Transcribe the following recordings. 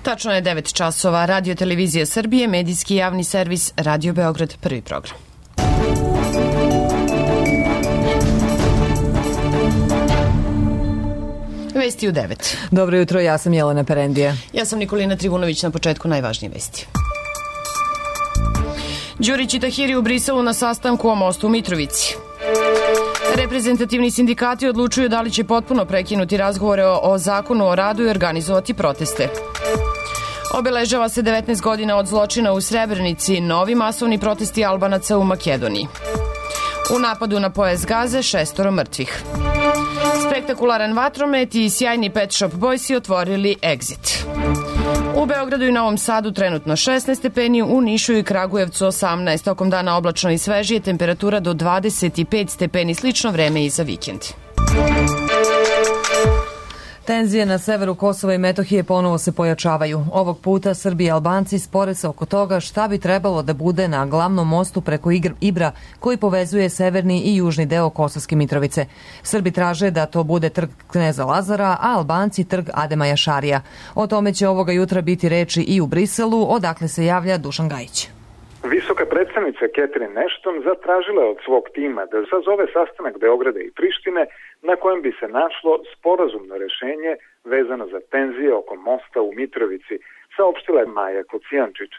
Tačno je 9 časova. Radio Televizija Srbije, medijski javni servis Radio Beograd, prvi program. Vesti u 9. Dobro jutro, ja sam Jelena Perendija. Ja sam Nikolina Trivunović, na početku najvažnije vesti. Đurić i Tahiri u Briselu na sastanku o mostu u Mitrovici. Reprezentativni sindikati odlučuju da li će potpuno prekinuti razgovore o zakonu o radu i organizovati proteste. Obeležava se 19 godina od zločina u Srebrenici, novi masovni protesti Albanaca u Makedoniji. U napadu na pojas Gaze 6 mrtvih. Spektakularan vatromet i sjajni Pet Shop Boysi otvorili Exit. U Beogradu i Novom Sadu trenutno 16 stepeni, u Nišu i Kragujevcu 18, tokom dana oblačno i svežije, temperatura do 25 stepeni, slično vreme i za vikend. Tenzije na severu Kosova i Metohije ponovo se pojačavaju. Ovog puta Srbi i Albanci spore se oko toga šta bi trebalo da bude na glavnom mostu preko Ibra koji povezuje severni i južni deo Kosovske Mitrovice. Srbi traže da to bude trg Kneza Lazara, a Albanci trg Adema Jašarija. O tome će ovoga jutra biti reči i u Briselu, odakle se javlja Dušan Gajić. Visoka predstavnica Catherine Ashton zatražila je od svog tima da sazove sastanak Beograda i Prištine na kojem bi se našlo sporazumno rešenje vezano za tenzije oko mosta u Mitrovici, saopštila je Maja Kocijančić.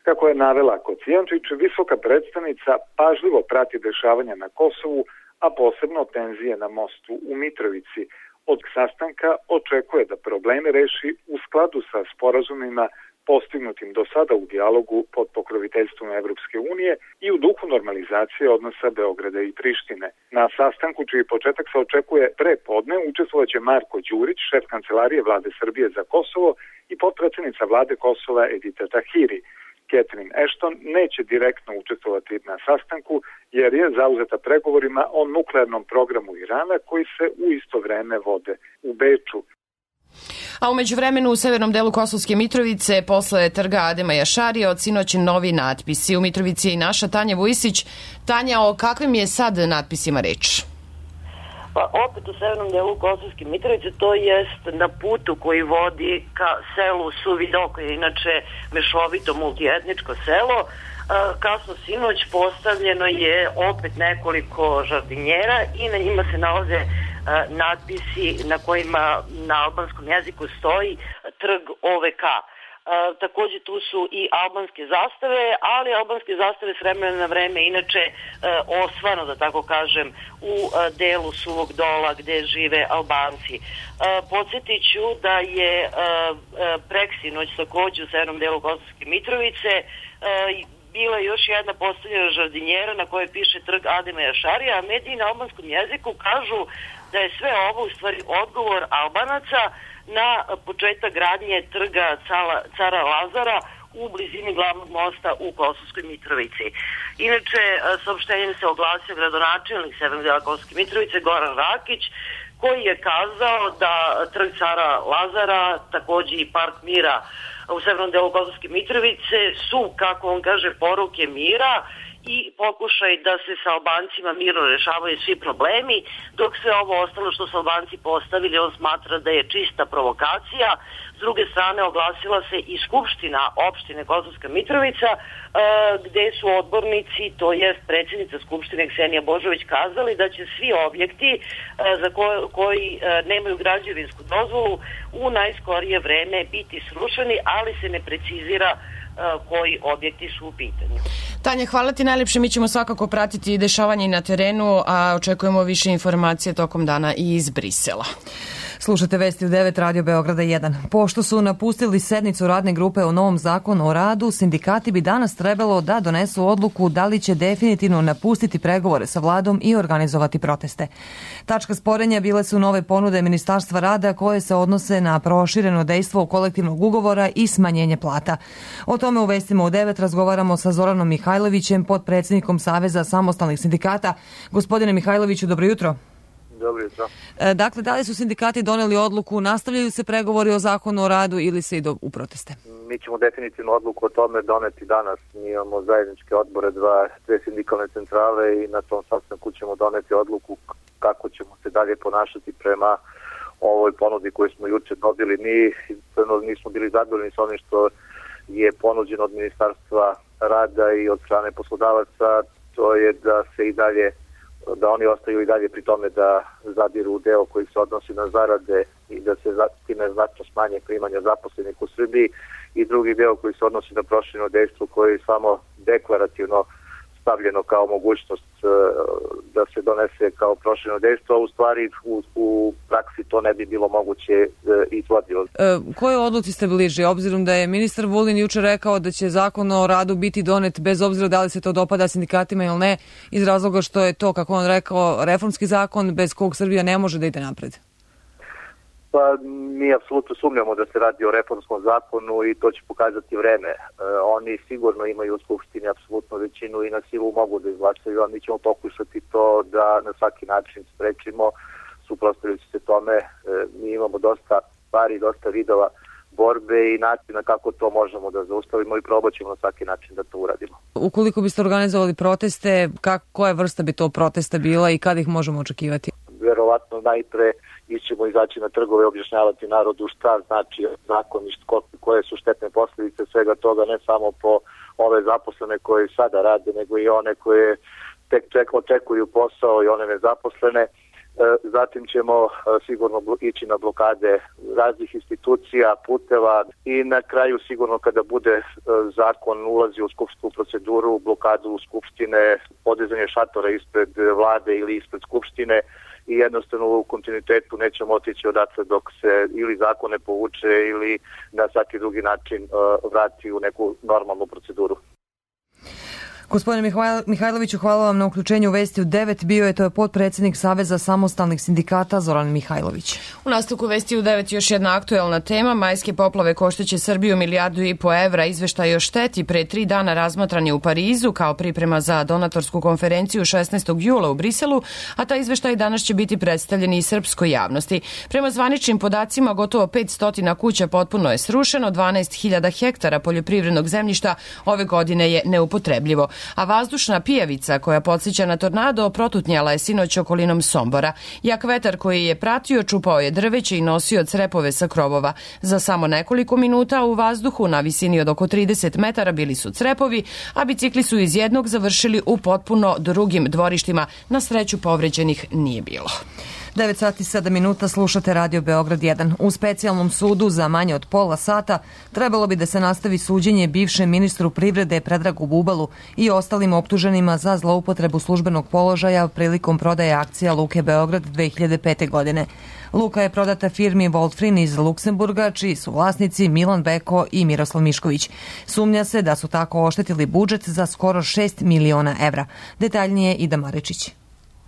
Kako je navela Kocijančić, visoka predstavnica pažljivo prati dešavanja na Kosovu, a posebno tenzije na mostu u Mitrovici. Od sastanka očekuje da probleme reši u skladu sa sporazumima postignutim do sada u dijalogu pod pokroviteljstvom Evropske unije i u duhu normalizacije odnosa Beograda i Prištine. Na sastanku, čiji početak se očekuje pre podne, učestvovaće Marko Đurić, šef kancelarije Vlade Srbije za Kosovo, i potpredsednica Vlade Kosova Edita Tahiri. Catherine Ashton neće direktno učestvovati na sastanku jer je zauzeta pregovorima o nuklearnom programu Irana koji se u isto vreme vode u Beču. A umeđu vremenu u severnom delu Kosovske Mitrovice, posle trga Adema Jašarija, od sinoć novi natpisi. U Mitrovici je i naša Tanja Vujsić. Tanja, o kakvim je sad natpisima reč? Pa opet u severnom delu Kosovske Mitrovice, to jest na putu koji vodi ka selu Suvidok, koje je inače mešovito multietničko selo. Kasno sinoć postavljeno je opet nekoliko žardinjera i na njima se nalaze natpisi na kojima na albanskom jeziku stoji trg OVK. Takođe tu su i albanske zastave, ali albanske zastave s vremena na vreme inače osvano, da tako kažem, u delu Suvog Dola gde žive Albanci. Podsjetit ću da je preksinoć takođe u severnom delu Kosovske Mitrovice bila još jedna postavljena žardinjera na kojoj piše trg Adema Jašarija, a mediji na albanskom jeziku kažu da je sve ovo u stvari odgovor Albanaca na početak gradnje trga Cara Lazara u blizini glavnog mosta u Kosovskoj Mitrovici. Inače, saopštenjem se oglasio gradonačelnik severnog dela Kosovske Mitrovice Goran Rakić, koji je kazao da trg Cara Lazara, takođe i Park Mira u severnom delu Kosovske Mitrovice su, kako on kaže, poruke mira i pokušaj da se sa Albancima mirno rešavaju svi problemi, dok sve ovo ostalo što su Albanci postavili, on smatra da je čista provokacija. S druge strane, oglasila se i Skupština opštine Kosovska Mitrovica, gde su odbornici, to jest predsjednica Skupštine Ksenija Božović, kazali da će svi objekti za koji nemaju građevinsku dozvolu u najskorije vreme biti srušeni, ali se ne precizira koji objekti su u pitanju. Tanja, hvala ti najlepše. Mi ćemo svakako pratiti dešavanje na terenu, a očekujemo više informacije tokom dana i iz Brisela. Slušate vesti u 9 Radio Beograda 1. Pošto su napustili sednicu radne grupe o novom zakonu o radu, sindikati bi danas trebalo da donesu odluku da li će definitivno napustiti pregovore sa vladom i organizovati proteste. Tačka sporenja bile su nove ponude Ministarstva rada koje se odnose na prošireno dejstvo kolektivnog ugovora i smanjenje plata. O tome u vestima u 9 razgovaramo sa Zoranom Mihajlovićem, potpredsjednikom Saveza samostalnih sindikata. Gospodine Mihajloviću, dobro jutro. Dobro jutro. Dakle, da li su sindikati doneli odluku, nastavljaju se pregovori o zakonu o radu ili se ide u proteste? Mi ćemo definitivno odluku o tome doneti danas. Mi imamo zajedničke odbore, dve sindikalne centrale i na tom sastanku ćemo doneti odluku kako ćemo se dalje ponašati prema ovoj ponudi koju smo juče dobili. Mi nismo bili zadovoljni sa onim što je ponuđeno od Ministarstva rada i od strane poslodavaca. To je da oni ostaju i dalje pri tome da zadiru u deo koji se odnosi na zarade i da se time znatno smanje primanja zaposlenih u Srbiji, i drugi deo koji se odnosi na prošireno dejstvo, koji je samo deklarativno stavljeno kao mogućnost da se donese kao prošireno dejstvo, a u stvari u praksi to ne bi bilo moguće izvodljivo. Koje odluci ste bliži, obzirom da je ministar Vulin juče rekao da će zakon o radu biti donet bez obzira da li se to dopada sindikatima ili ne, iz razloga što je to, kako on rekao, reformski zakon bez kog Srbija ne može da ide napred? Pa mi apsolutno sumnjamo da se radi o reformskom zakonu i to će pokazati vreme. Oni sigurno imaju u Skupštini apsolutnu većinu i na silu mogu da izglasaju, a mi ćemo pokušati to da na svaki način sprečimo, suprotstavljajući se tome. Mi imamo dosta stvari, dosta vidova borbe i načina kako to možemo da zaustavimo i probat ćemo na svaki način da to uradimo. Ukoliko biste organizovali proteste, koja vrsta bi to protesta bila i kada ih možemo očekivati? Verovatno najpre ćemo izaći na trgove i objašnjavati narodu šta znači zakon i koje su štetne posljedice svega toga, ne samo po ove zaposlene koje sada rade, nego i one koje tek očekuju posao i one nezaposlene. Zatim ćemo sigurno ići na blokade raznih institucija, puteva i na kraju sigurno kada bude zakon ulazi u skupštinsku proceduru, blokadu Skupštine, podizanje šatora ispred vlade ili ispred Skupštine, i jednostavno u kontinuitetu nećemo otići odatle dok se ili zakon ne povuče ili na svaki drugi način vrati u neku normalnu proceduru. Gospodine Mihajloviću, hvala vam na uključenju u Vesti u 9. Bio je to potpredsjednik Saveza samostalnih sindikata Zoran Mihajlović. U nastavku Vesti u 9 još jedna aktuelna tema. Majske poplave košteće Srbiju 1,5 milijardu evra. Izveštaj o šteti pre 3 dana razmatran je u Parizu kao priprema za donatorsku konferenciju 16. jula u Briselu, a taj izveštaj danas će biti predstavljen i srpskoj javnosti. Prema zvaničnim podacima, gotovo 500 kuća potpuno je srušeno, 12.000 hektara poljoprivrednog zemljišta ove godine je neupotrebljivo. A vazdušna pijavica koja podsjeća na tornado protutnjala je sinoć okolinom Sombora. Jak vetar koji je pratio čupao je drveće i nosio crepove sa krovova. Za samo nekoliko minuta u vazduhu na visini od oko 30 metara bili su crepovi, a bicikli su iz jednog završili u potpuno drugim dvorištima. Na sreću povređenih nije bilo. 9 sati 7 minuta, slušate Radio Beograd 1. U specijalnom sudu za manje od pola sata trebalo bi da se nastavi suđenje bivšem ministru privrede Predragu Bubalu i ostalim optuženima za zloupotrebu službenog položaja prilikom prodaje akcija Luke Beograd 2005. godine. Luka je prodata firmi Voltfrin iz Luksemburga, čiji su vlasnici Milan Beko i Miroslav Mišković. Sumnja se da su tako oštetili budžet za skoro 6 miliona evra. Detaljnije Ida Marečić.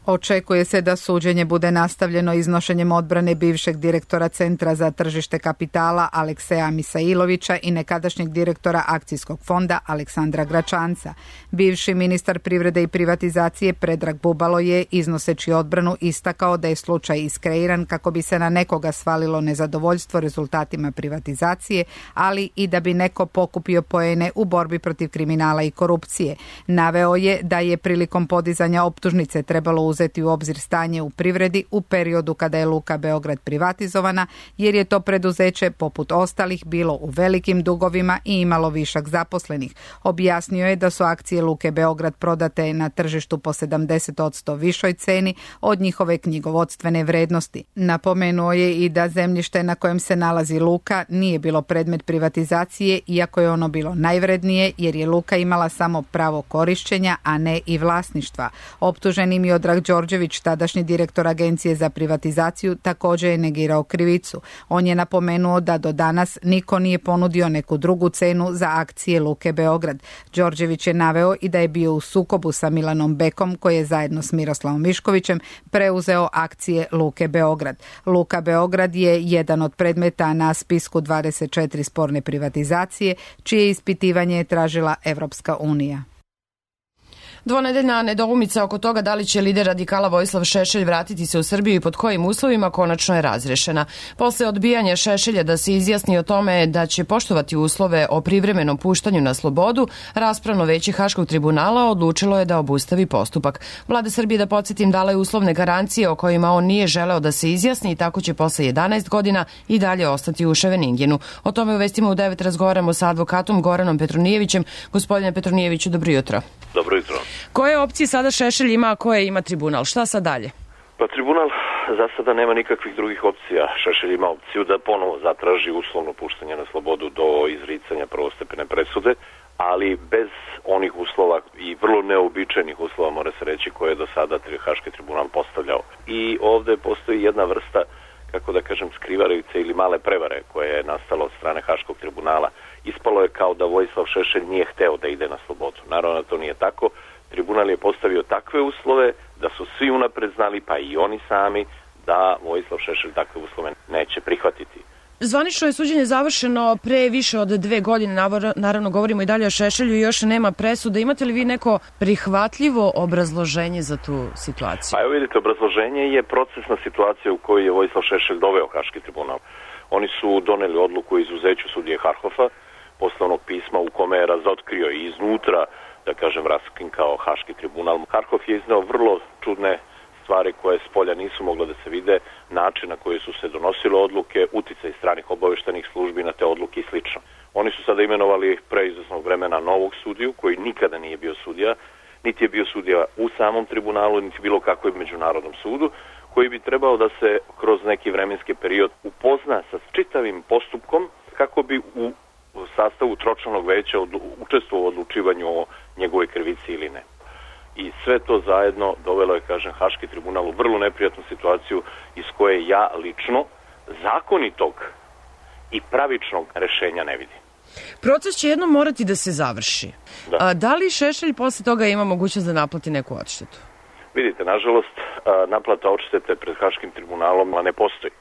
Očekuje se da suđenje bude nastavljeno iznošenjem odbrane bivšeg direktora Centra za tržište kapitala Alekseja Misailovića i nekadašnjeg direktora akcijskog fonda Aleksandra Gračanca. Bivši ministar privrede i privatizacije Predrag Bubalo je, iznoseći odbranu, istakao da je slučaj iskreiran kako bi se na nekoga svalilo nezadovoljstvo rezultatima privatizacije, ali i da bi neko pokupio poene u borbi protiv kriminala i korupcije. Naveo je da je prilikom podizanja optužnice trebalo uzeti u obzir stanje u privredi u periodu kada je Luka Beograd privatizovana, jer je to preduzeće poput ostalih bilo u velikim dugovima i imalo višak zaposlenih. Objasnio je da su akcije Luke Beograd prodate na tržištu po 70% višoj ceni od njihove knjigovodstvene vrednosti. Napomenuo je i da zemljište na kojem se nalazi Luka nije bilo predmet privatizacije, iako je ono bilo najvrednije, jer je Luka imala samo pravo korišćenja, a ne i vlasništva. Optuženi Miodrag Đorđević, tadašnji direktor Agencije za privatizaciju, također je negirao krivicu. On je napomenuo da do danas niko nije ponudio neku drugu cenu za akcije Luke Beograd. Đorđević je naveo i da je bio u sukobu sa Milanom Bekom, koji je zajedno s Miroslavom Miškovićem preuzeo akcije Luke Beograd. Luka Beograd je jedan od predmeta na spisku 24 sporne privatizacije, čije ispitivanje je tražila Evropska unija. Dvonedeljna nedoumica oko toga da li će lider radikala Vojislav Šešelj vratiti se u Srbiju i pod kojim uslovima konačno je razrešena. Posle odbijanja Šešelja da se izjasni o tome da će poštovati uslove o privremenom puštanju na slobodu, raspravno veće Haškog tribunala odlučilo je da obustavi postupak. Vlada Srbije, da podsjetim, dala je uslovne garancije o kojima on nije želeo da se izjasni i tako će posle 11 godina i dalje ostati u Ševeningenu. O tome u Vestima u 9 razgovaramo sa advokatom Goranom Petronijevićem. Gospodine Petronijeviću, dobro jutro. Dobro jutro. Koje opcije sada Šešelj ima, a koje ima tribunal? Šta sad dalje? Pa tribunal za sada nema nikakvih drugih opcija. Šešelj ima opciju da ponovo zatraži uslovno puštanje na slobodu do izricanja prvostepene presude, ali bez onih uslova i vrlo neobičajnih uslova, mora se reći, koje je do sada Haški tribunal postavljao. I ovde postoji jedna vrsta, kako da kažem, skrivarice ili male prevare koje je nastalo od strane Haškog tribunala. Ispalo je kao da Vojislav Šešelj nije hteo da ide na slobodu. Naravno, to nije tako. Tribunal je postavio takve uslove da su svi unapred znali, pa i oni sami, da Vojislav Šešelj takve uslove neće prihvatiti. Zvanično je suđenje završeno pre više od 2 godine, naravno govorimo i dalje o Šešelju i još nema presude. Imate li vi neko prihvatljivo obrazloženje za tu situaciju? Pa evo vidite, obrazloženje je procesna situacija u kojoj je Vojislav Šešelj doveo Haški tribunal. Oni su doneli odluku o izuzeću sudije Harhofa, posle onog pisma u kome je razotkrio i iznutra, da kažem, raskrinkao Haški tribunal. Harhov je izneo vrlo čudne stvari koje s polja nisu mogle da se vide, način na koji su se donosile odluke, uticaj stranih obaveštajnih službi na te odluke i slično. Oni su sada imenovali pre izvesnog vremena novog sudiju, koji nikada nije bio sudija, niti je bio sudija u samom tribunalu, niti bilo kakvom međunarodnom sudu, koji bi trebao da se kroz neki vremenski period upozna sa čitavim postupkom kako bi u sastavu tročlanog veća učestvovao u odlučivanju o njegovoj krivici ili ne. I sve to zajedno dovelo je, kažem, Haški tribunal u vrlo neprijatnu situaciju iz koje ja lično zakonitog i pravičnog rešenja ne vidim. Proces će jednom morati da se završi. Da li Šešelj posle toga ima mogućnost da naplati neku odštetu? Vidite, nažalost, naplata odštete pred Haškim tribunalom ne postoji.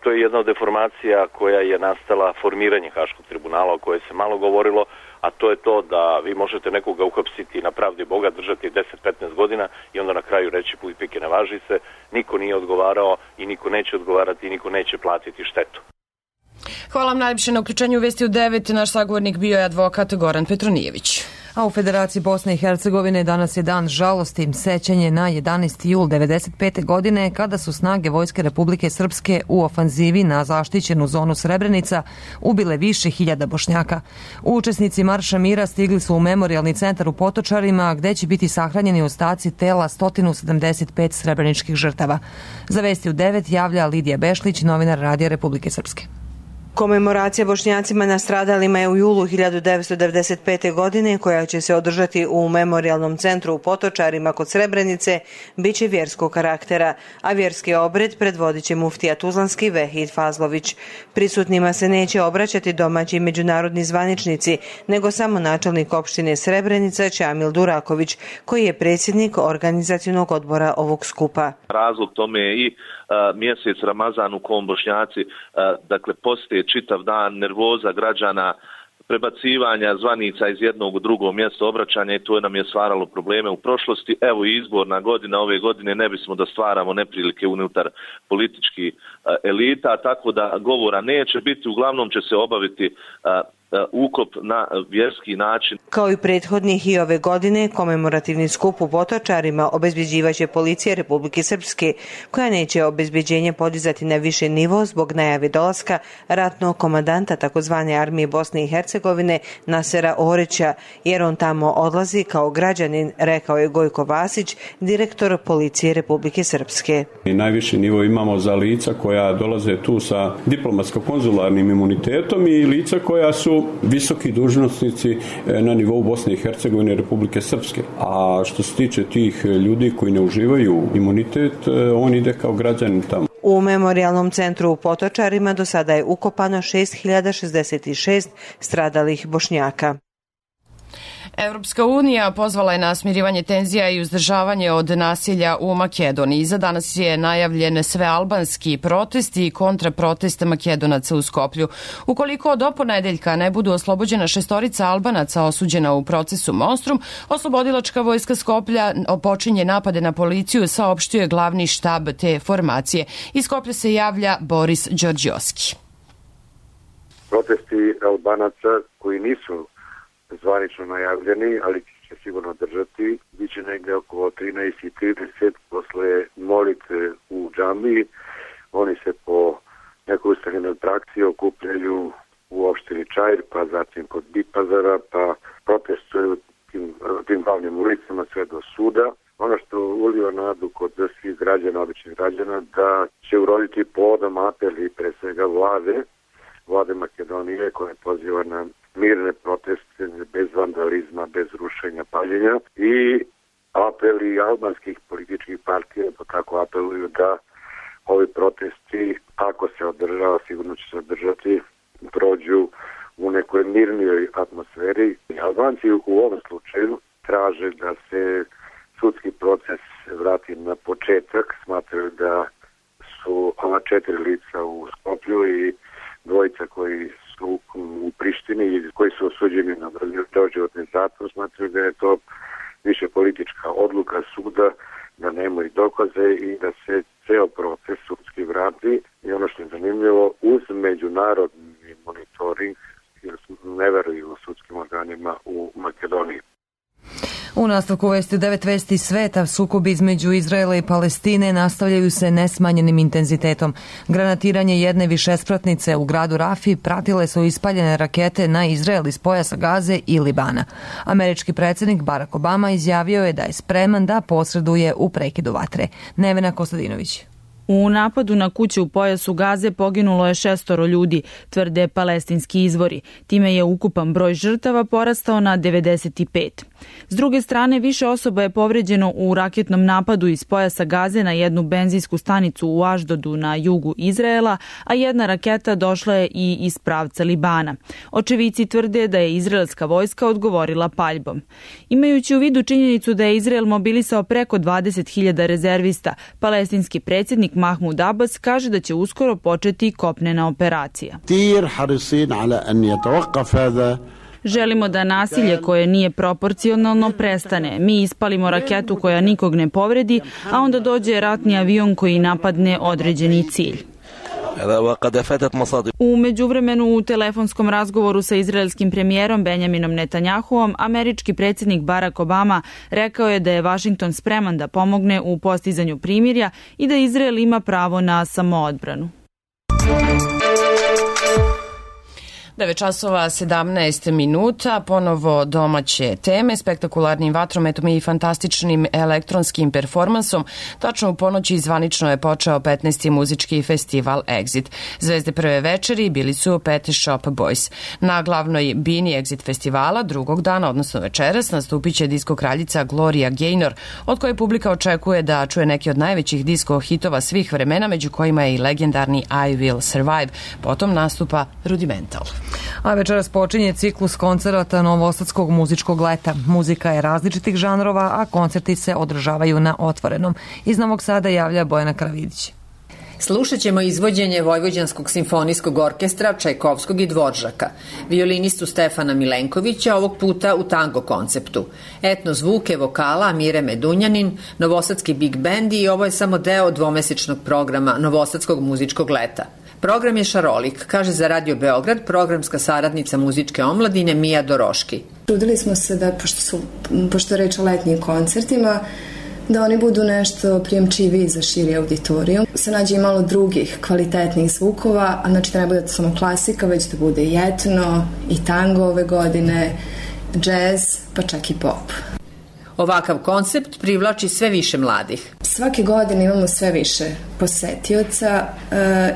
To je jedna od deformacija koja je nastala formiranje Haškog tribunala, o kojoj se malo govorilo, a to je to da vi možete nekoga uhapsiti na pravdi Boga, držati 10-15 godina i onda na kraju reći puj pike ne važi se, niko nije odgovarao i niko neće odgovarati i niko neće platiti štetu. Hvala vam najljepše na uključenju u Vesti u 9. Naš sagovornik bio je advokat Goran Petronijević. A u Federaciji Bosne i Hercegovine danas je dan žalosti, sećanje na 11. jul 1995. godine kada su snage Vojske Republike Srpske u ofanzivi na zaštićenu zonu Srebrenica ubile više hiljada Bošnjaka. Učesnici Marša mira stigli su u memorijalni centar u Potočarima gde će biti sahranjeni ostaci tela 175 srebreničkih žrtava. Za Vesti u 9 javlja Lidija Bešlić, novinar Radija Republike Srpske. Komemoracija Bošnjacima nastradalima je u julu 1995. godine, koja će se održati u memorijalnom centru u Potočarima kod Srebrenice, bit će vjerskog karaktera, a vjerski obred predvodit će muftija Tuzlanski Vehid Fazlović. Prisutnima se neće obraćati domaći i međunarodni zvaničnici, nego samo načelnik opštine Srebrenica Čamil Duraković, koji je predsjednik organizacionog odbora ovog skupa. Razlog tome je i mjesec Ramazan u kom Bošnjaci postoje čitav dan, nervoza građana, prebacivanja zvanica iz jednog u drugo mjesto obraćanja i to nam je stvaralo probleme u prošlosti. Evo i izborna godina ove godine, ne bismo da stvaramo neprilike unutar političkih elita, tako da govora neće biti, uglavnom će se obaviti ukop na vjerski način. Kao i prethodnih i ove godine, komemorativni skup u Potočarima obezbeđivaće policija Republike Srpske, koja neće obezbeđenje podizati na više nivo zbog najave dolaska ratnog komandanta takozvane armije Bosne i Hercegovine Nasera Orića, jer on tamo odlazi kao građanin, rekao je Gojko Vasić, direktor policije Republike Srpske. Najviši nivo imamo za lica koja dolaze tu sa diplomatsko-konzularnim imunitetom i lica koja su visoki dužnosnici na nivou Bosne i Hercegovine i Republike Srpske. A što se tiče tih ljudi koji ne uživaju imunitet, on ide kao građanin tamo. U memorijalnom centru u Potočarima do sada je ukopano 6066 stradalih Bošnjaka. Evropska unija pozvala je na smirivanje tenzija i uzdržavanje od nasilja u Makedoniji. Za danas je najavljen svealbanski protest i kontraprotest Makedonaca u Skoplju. Ukoliko do ponedeljka ne budu oslobođena 6 Albanaca osuđena u procesu Monstrum, oslobodilačka vojska Skoplja počinje napade na policiju, saopštio je glavni štab te formacije. Iz Skoplja se javlja Boris Đorđioski. Protesti Albanaca koji nisu zvanično najavljeni, ali će sigurno držati, biće negde oko 13:30 posle molitve u džamiji. Oni se po nekoj ustaljenoj praksi okupljaju u opštini Čair, pa zatim kod Bipazara, pa protestuju tim glavnim ulicama sve do suda. Ono što uliva nadu kod svih građana, običnih građana, da će uroditi plodom apeli pre svega vlade Makedonije koja poziva na mirne proteste bez vandalizma, bez rušenja, paljenja i apeli albanskih političkih partija, pa tako apeluju da ovi protesti, ako se održava, sigurno će se održati, prođu u nekoj mirnijoj atmosferi. Albanci u ovom slučaju traže da se sudski proces vrati na početak, smatraju da su ova 4 lica u Skoplju i dvojica koji su u Prištini i koji su osuđeni na doživotni zatvor, smatraju da je to više politička odluka suda, da nemaju dokaze i da se ceo proces sudski vrati. I ono što je zanimljivo, uz međunarodni monitoring, jer ne veruju u sudskim organima u Makedoniji. U nastavku vesti 9 vesti sveta, sukobi između Izraela i Palestine nastavljaju se nesmanjenim intenzitetom. Granatiranje jedne višespratnice u gradu Rafi pratile su ispaljene rakete na Izrael iz pojasa Gaze i Libana. Američki predsjednik Barack Obama izjavio je da je spreman da posreduje u prekidu vatre. Nevena Kostadinović. U napadu na kuće u pojasu Gaze poginulo je 6 ljudi, tvrde palestinski izvori. Time je ukupan broj žrtava porastao na 95. S druge strane, više osoba je povređeno u raketnom napadu iz pojasa Gaze na jednu benzinsku stanicu u Aždodu na jugu Izraela, a jedna raketa došla je i iz pravca Libana. Očevici tvrde da je izraelska vojska odgovorila paljbom. Imajući u vidu činjenicu da je Izrael mobilisao preko 20.000 rezervista, palestinski predsjednik Mahmud Abbas kaže da će uskoro početi kopnena operacija. Želimo da nasilje koje nije proporcionalno prestane. Mi ispalimo raketu koja nikog ne povredi, a onda dođe ratni avion koji napadne određeni cilj. U međuvremenu u telefonskom razgovoru sa izraelskim premijerom Benjaminom Netanjahuom, američki predsjednik Barack Obama rekao je da je Vašington spreman da pomogne u postizanju primirja i da Izrael ima pravo na samoodbranu. 9:17, ponovo domaće teme, spektakularnim vatrometom i fantastičnim elektronskim performansom. Tačno u ponoći zvanično je počeo 15. muzički festival Exit. Zvezde prve večeri bili su Pet Shop Boys. Na glavnoj bini Exit festivala drugog dana, odnosno večeras, nastupit će disko kraljica Gloria Gaynor, od koje publika očekuje da čuje neki od najvećih disko hitova svih vremena, među kojima je i legendarni I Will Survive. Potom nastupa Rudimental. A večeras počinje ciklus koncerata Novosadskog muzičkog leta. Muzika je različitih žanrova, a koncerti se održavaju na otvorenom. Iz Novog Sada javlja Bojana Karavidić. Slušat ćemo izvođenje Vojvođanskog simfonijskog orkestra, Čajkovskog i Dvoržaka, violinistu Stefana Milenkovića, ovog puta u tango konceptu, etno zvuke vokala Mire Medunjanin, Novosadski big band i ovo je samo deo dvomesečnog programa Novosadskog muzičkog leta. Program je šarolik, kaže za Radio Beograd programska saradnica muzičke omladine Mija Doroški. Trudili smo se da, pošto je reč o letnjim koncertima, da oni budu nešto prijemčiviji za širi auditorijum. Se nađe i malo drugih kvalitetnih zvukova, a znači da ne bude samo klasika, već da bude i etno, i tango ove godine, džez, pa čak i pop. Ovakav koncept privlači sve više mladih. Svake godine imamo sve više posetioca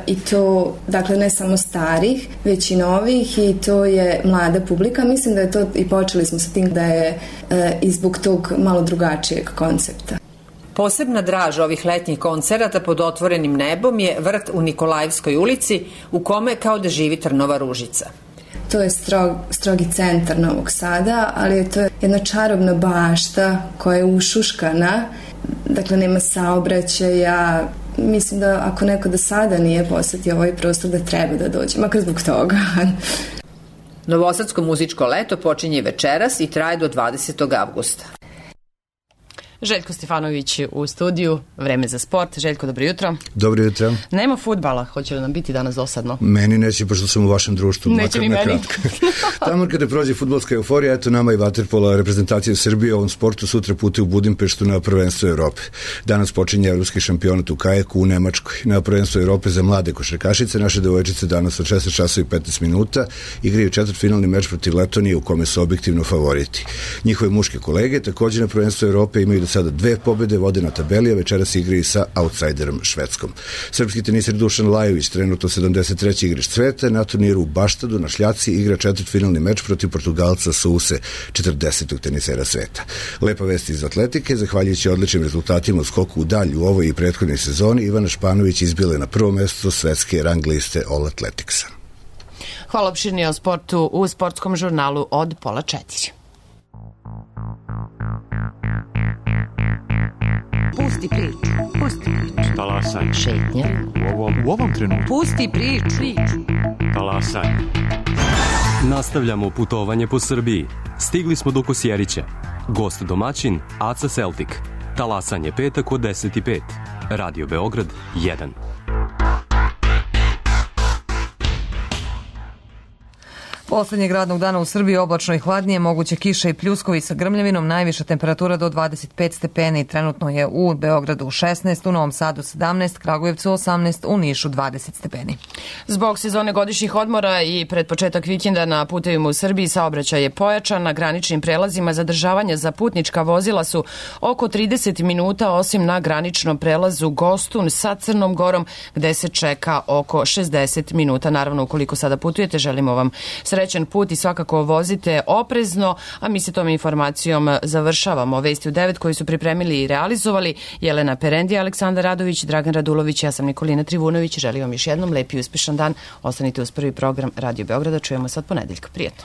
i to, dakle, ne samo starih, već i novih, i to je mlada publika. Mislim da je to, i počeli smo sa tim, da je i zbog tog malo drugačijeg koncepta. Posebna draž ovih letnjih koncerata pod otvorenim nebom je vrt u Nikolajevskoj ulici, u kome kao da živi Trnova ružica. To je strogi centar Novog Sada, ali to je jedna čarobna bašta koja je ušuškana, dakle nema saobraćaja. Mislim da ako neko do sada nije posetio ovaj prostor da treba da dođe, makar zbog toga. Novosadsko muzičko leto počinje večeras i traje do 20. avgusta. Željko Stefanović u studiju, vreme za sport. Željko, dobro jutro. Dobro jutro. Nema fudbala, hoće li nam biti danas dosadno? Meni neće, pošto sam u vašem društvu. Neće ni meni. Tamo kada prođe fudbalska euforija, eto nama i vaterpola reprezentacije Srbije u ovom sportu sutra putuje u Budimpeštu na prvenstvo Evrope. Danas počinje evropski šampionat u kajaku u Nemačkoj. Na prvenstvo Evrope za mlade košarkašice, naše devojčice danas od 16 časova i 15 minuta igraju četvrtfinalni meč protiv Letonije u kome su objektivno favoriti. Njihove muške kolege takođe na prvenstvo Evrope imaju sada 2 pobede, vode na tabeli, a večeras igraju sa outsiderom Švedskom. Srpski teniser Dušan Lajović, trenutno 73. igrač sveta, na turniru u Baštadu na šljaci igra četvrtfinalni meč protiv Portugalca Souse, 40. tenisera sveta. Lepa vest iz atletike, zahvaljujući odličnim rezultatima u skoku u dalj u ovoj i prethodnoj sezoni, Ivana Španović izbila je na prvo mesto svetske rang liste All Athleticsa. Hvala opširnije o sportu u sportskom žurnalu od 3:30. Pusti priču, pusti priču. Talasaj. Šetnja. U ovom trenutku. Pusti priču. Talasaj. Nastavljamo putovanje po Srbiji. Stigli smo do Kosjerića. Gost domaćin Aca Celtic. Talasanje petak od 10:05. Radio Beograd 1. Poslednjeg radnog dana u Srbiji oblačno i hladnije, moguće kiše i pljuskovi sa grmljavinom, najviša temperatura do 25 stepeni, trenutno je u Beogradu 16, u Novom Sadu 17, Kragujevcu 18, u Nišu 20 stepeni. Zbog sezone godišnjih odmora i pred početak vikenda na putevima u Srbiji saobraćaj je pojačan, na graničnim prelazima zadržavanja za putnička vozila su oko 30 minuta, osim na graničnom prelazu Gostun sa Crnom Gorom, gde se čeka oko 60 minuta. Naravno, ukoliko sada putujete, želimo vam srećan put i svakako vozite oprezno, a mi se tom informacijom završavamo. Vesti u 9 koji su pripremili i realizovali Jelena Perendija, Aleksandar Radović, Dragan Radulović, ja sam Nikolina Trivunović. Želim vam još jednom lep i uspešan dan. Ostanite uz prvi program Radio Beograda. Čujemo se od ponedeljka. Prijetno.